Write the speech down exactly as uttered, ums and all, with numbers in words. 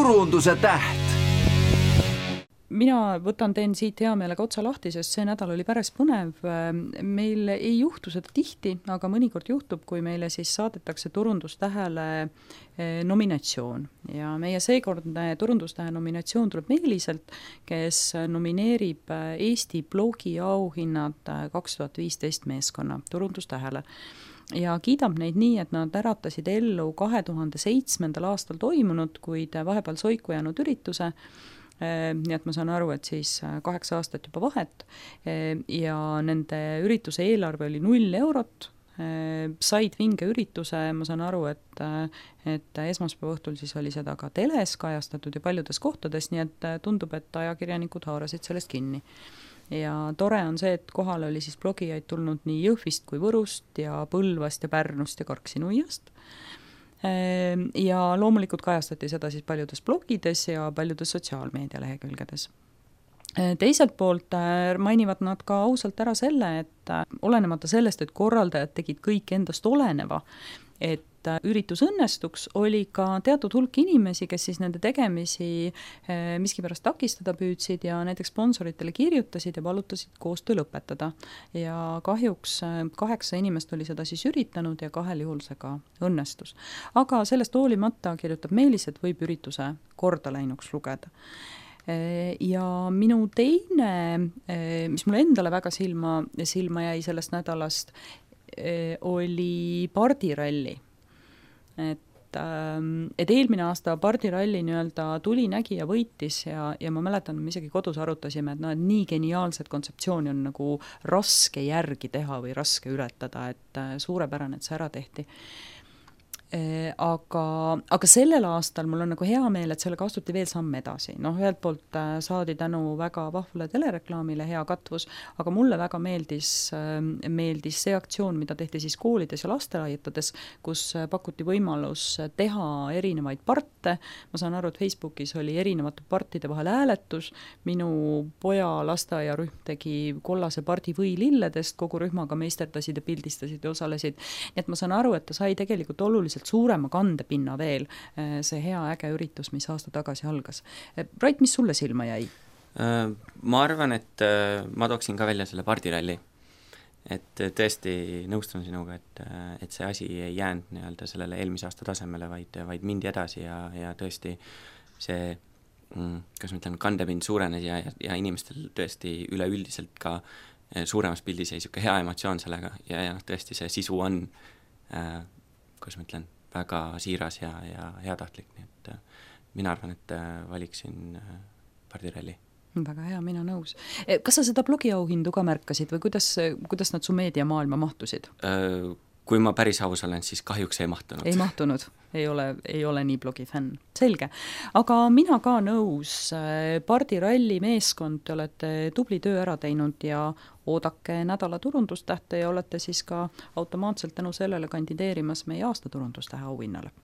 turunduse täht. Mina võtan teen siit hea meelega otsa lahti, sest see nädal oli päris põnev. Meil ei juhtu seda tihti, aga mõnikord juhtub, kui meile siis saadetakse turundustähele nominatsioon. Ja meie seekordne turundustähe nominatsioon tuleb Meeliselt, kes nomineerib Eesti blogi auhinnad kaks tuhat viisteist meeskonna turundustähele. Ja kiidab neid nii, et nad äratasid ellu kahe tuhande seitsmendal aastal toimunud, kuid vahepeal soiku jäänud ürituse. Nii et ma saan aru, et siis kaheksa aastat juba vahet ja nende ürituse eelarve oli null eurot, said vinge ürituse, ma saan aru, et, et esmaspäeva õhtul siis oli seda ka teles kajastatud ja paljudes kohtades, nii et tundub, et ajakirjanikud haarasid sellest kinni. Ja tore on see, et kohal oli siis blogijaid tulnud nii Jõhvist kui Võrust ja Põlvast ja Pärnust ja Karksi-Nuiast. Ja loomulikult kajastati seda siis paljudes blogides ja paljudes sotsiaalmeedia lehekülgedes. Teiselt poolt mainivad nad ka ausalt ära selle, et olenemata sellest, et korraldajad tegid kõik endast oleneva, et üritus õnnestuks, oli ka teatud hulk inimesi, kes siis nende tegemisi miskipärast takistada püüdsid ja näiteks sponsoritele kirjutasid ja palutasid koostöö lõpetada. Ja kahjuks kaheksa inimest oli seda siis üritanud ja kahel juhul see ka õnnestus. Aga sellest hoolimata kirjutab Meelis, et võib ürituse korda läinuks lugeda. Ja minu teine, mis mulle endale väga silma, silma jäi sellest nädalast, oli pardiralli. Et, et eelmine aasta pardiralli nii-öelda tuli, nägi ja võitis ja, ja ma mäletan, me isegi kodus arutasime, et no, et nii geniaalset kontseptsiooni on nagu raske järgi teha või raske ületada, et suurepärane, et see ära tehti. Aga, aga sellel aastal mul on nagu hea meel, et sellega astuti veel samm edasi. Noh, ühelt poolt saadi tänu väga vahvale telereklaamile hea katvus, aga mulle väga meeldis, meeldis see aktsioon, mida tehti siis koolides ja lastelaaietades, kus pakuti võimalus teha erinevaid parte. Ma saan aru, et Facebookis oli erinevate partide vahel hääletus. Minu poja lasteaiarühm tegi kollase pardi või lilledest, kogu rühmaga meisterdasid ja pildistasid ja osalesid. Nii et ma saan aru, et ta sai tegelikult oluliselt suurema kandepinna veel see hea äge üritus, mis aasta tagasi algas. Rait, mis sulle silma jäi? Ma arvan, et ma tooksin ka välja selle pardiralli. Et tõesti nõustun sinuga, et, et see asi ei jäänud nii-öelda sellele eelmise aasta tasemele, vaid, vaid mindi edasi ja, ja tõesti see, kas ma ütlen, kandepind suurenes ja, ja, ja inimestel tõesti üleüldiselt ka suuremas pildis jäi siuke hea emotsioon sellega ja, ja tõesti see sisu on äh, kuidas ma ütlen, väga siiras ja, ja heatahtlik, nii et mina arvan, et valiksin pardiralli. Väga hea, mina nõus. Kas sa seda blogiauhindu ka märkasid või kuidas, kuidas nad su meediamaailma mahtusid? Kui ma päris aus olen, siis kahjuks ei mahtunud. Ei mahtunud, ei ole, ei ole nii blogi fänn. Selge. Aga mina ka nõus. Pardiralli meeskond, te olete tubli töö ära teinud ja oodake nädala turundustähte ja olete siis ka automaatselt tänu sellele kandideerimas meie aasta turundustähe auhinnale.